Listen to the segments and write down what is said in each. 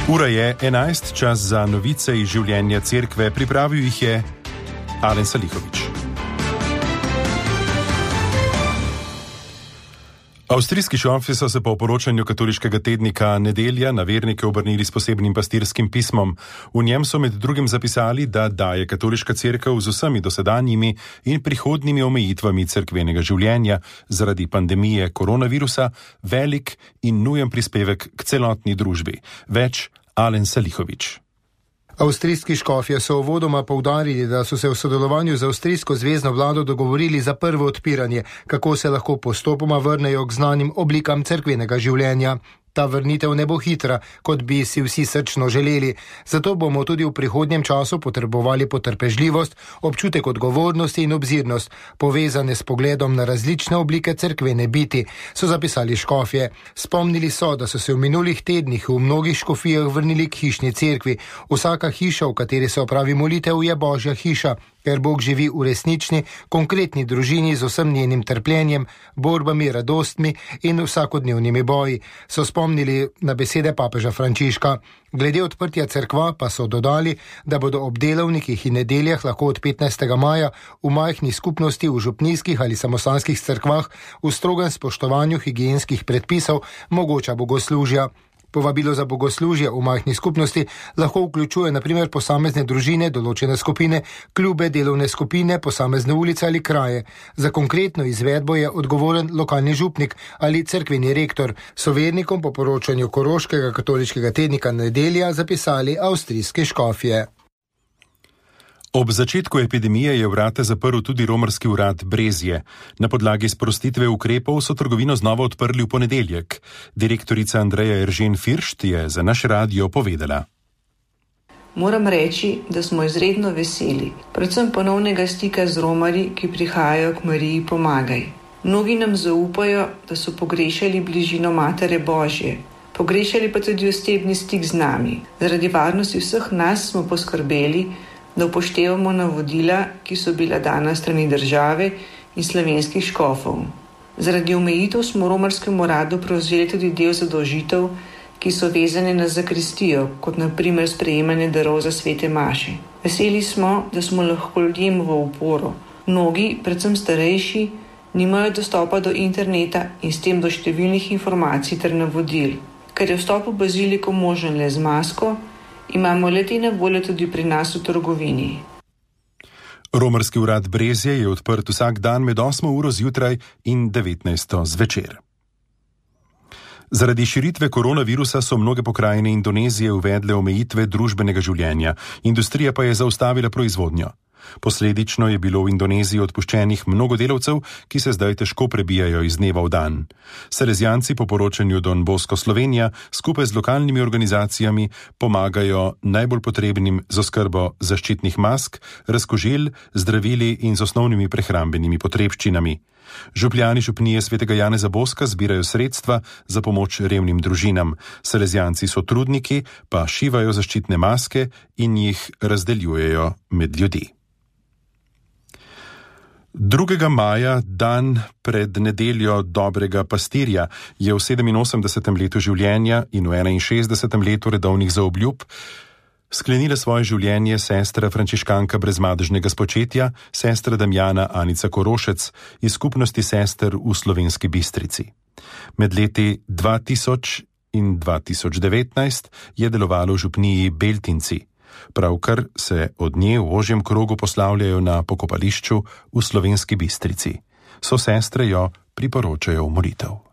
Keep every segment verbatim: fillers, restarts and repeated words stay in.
Ura je enajst, čas za novice iz življenja cerkve, pripravil jih je Alen Salihovič. Avstrijski šofi so se po poročanju katoliškega tednika Nedelja na vernike obrnili s posebnim pastirskim pismom. V njem so med drugim zapisali, da daje katoliška cerkev z vsemi dosedanjimi in prihodnjimi omejitvami cerkvenega življenja zaradi pandemije koronavirusa velik in nujen prispevek k celotni družbi. Več Alen Salihovič. Avstrijski škofje so uvodoma poudarili, da so se v sodelovanju z avstrijsko zvezno vlado dogovorili za prvo odpiranje, kako se lahko postopoma vrnejo k znanim oblikam cerkvenega življenja. Ta vrnitev ne bo hitra, kot bi si vsi srčno želeli, zato bomo tudi v prihodnjem času potrebovali potrpežljivost, občutek odgovornosti in obzirnost, povezane s pogledom na različne oblike cerkvene biti, so zapisali škofje. Spomnili so, da so se v minulih tednih v mnogih škofijah vrnili k hišni cerkvi. Vsaka hiša, v kateri se opravi molitev, je Božja hiša, ker Bog živi v resnični, konkretni družini z vsem njenim trpljenjem, borbami, radostmi in vsakodnevnimi boji, so spomnili na besede papeža Frančiška. Glede odprtja cerkva pa so dodali, da bodo ob delovnikih in nedeljah lahko od petnajstega maja v majhni skupnosti v župnijskih ali samostanskih cerkvah v strogem spoštovanju higienskih predpisov mogoča bogoslužja. Povabilo za bogoslužje v majhni skupnosti lahko vključuje na primer posamezne družine, določene skupine, klube, delovne skupine, posamezne ulice ali kraje. Za konkretno izvedbo je odgovoren lokalni župnik ali cerkveni rektor, so vernikom po poročanju koroškega katoliškega tednika Nedelja zapisali avstrijske škofje. Ob začetku epidemije je vrata zaprl tudi romarski urad Brezje. Na podlagi sprostitve ukrepov so trgovino znova odprli v ponedeljek. Direktorica Andreja Eržen Firšt je za naš radio povedala. Moram reči, da smo izredno veseli, predvsem ponovnega stika z Romarji, ki prihajajo k Mariji Pomagaj. Mnogi nam zaupajo, da so pogrešali bližino Matere Božje, pogrešali pa tudi osebni stik z nami. Zaradi varnosti vseh nas smo poskrbeli, da upoštevamo navodila, ki so bila dana strani države in slovenskih škofov. Zaradi omejitev smo v romarskem uradu prevzeli tudi del zadolžitev, ki so vezane na zakristijo, kot na primer sprejemanje darov za svete maše. Veseli smo, da smo lahko ljudem v oporo. Mnogi, predvsem starejši, nimajo dostopa do interneta in s tem do številnih informacij ter navodil. Ker je vstop v baziliko možen le z masko, imamo le-te na voljo tudi pri nas v trgovini. Romarski urad Brezje je odprt vsak dan med osmo uro zjutraj in devetnajsto zvečer. Zaradi širitve koronavirusa so mnoge pokrajine Indonezije uvedle omejitve družbenega življenja, industrija pa je zaustavila proizvodnjo. Posledično je bilo v Indoneziji odpuščenih mnogo delavcev, ki se zdaj težko prebijajo iz dneva v dan. Salezijanci po poročanju Don Bosco Slovenija skupaj z lokalnimi organizacijami pomagajo najbolj potrebnim z oskrbo zaščitnih mask, razkožil, zdravili in z osnovnimi prehrambenimi potrebščinami. Župljani župnije svetega Janeza Boska zbirajo sredstva za pomoč revnim družinam. Salezijanci so trudniki, pa šivajo zaščitne maske in jih razdeljujejo med ljudi. drugega maja, dan pred nedeljo dobrega pastirja, je v sedeminosemdesetem letu življenja in v enainšestdesetem letu redovnih zaobljub sklenila svoje življenje sestra frančiškanka brezmadežnega spočetja, sestra Damjana Anica Korošec iz skupnosti sester v Slovenski Bistrici. Med leti dva tisoč in dva tisoč devetnajst je delovalo v župniji Beltinci. Pravkar se od nje v ožjem krogu poslavljajo na pokopališču v Slovenski Bistrici. So sestre jo priporočajo v molitev.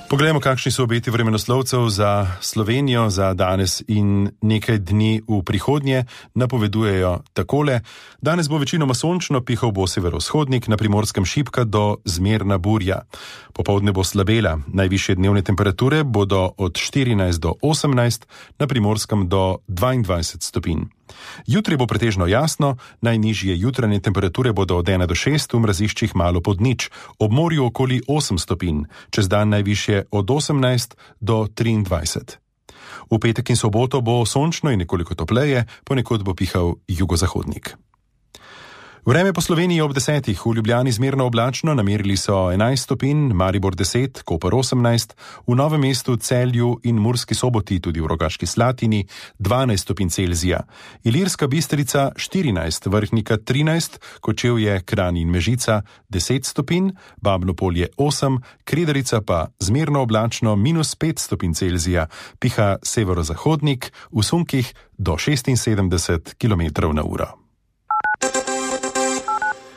Poglejmo, kakšni so obeti vremenoslovcev za Slovenijo za danes in nekaj dni v prihodnje. Napovedujejo takole. Danes bo večinoma sončno, pihal bo severovzhodnik, na Primorskem šibka do zmerna burja. Popoldne bo slabela, najvišje dnevne temperature bodo od štirinajst do osemnajst, na Primorskem do dvaindvajset stopinj. Jutri bo pretežno jasno, najnižje jutranje temperature bodo od ena do šest, v mraziščih malo pod nič, ob morju okoli osem stopinj, čez dan najvišje od osemnajst do triindvajset. V petek in soboto bo sončno in nekoliko topleje, ponekod bo pihal jugozahodnik. Vreme po Sloveniji ob desetih, v Ljubljani zmerno oblačno, namerili so enajst stopinj, Maribor deset, Koper osemnajst, v Novem mestu, Celju in Murski Soboti, tudi v Rogaški Slatini, dvanajst stopinj Celzija, Ilirska Bistrica štirinajst, Vrhnika trinajst, Kočevje, Kranj in Mežica deset stopinj, Babno Polje osem, Kredarica pa zmerno oblačno minus pet stopinj Celzija, piha severozahodnik, v sunkih do šestinsedemdeset kilometrov na uro.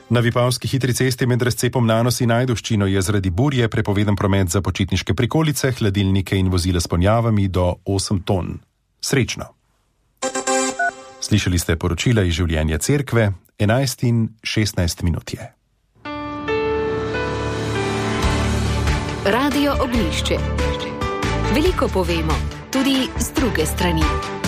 Na Vipavski hitri cesti med razcepom Nanos in Ajdovščino je zaradi burje prepovedan promet za počitniške prikolice, hladilnike in vozila s ponjavami do osem ton. Srečno! Slišali ste poročila iz življenja cerkve, enajst in šestnajst minut je. Radio Oglišče. Veliko povemo, tudi z druge strani.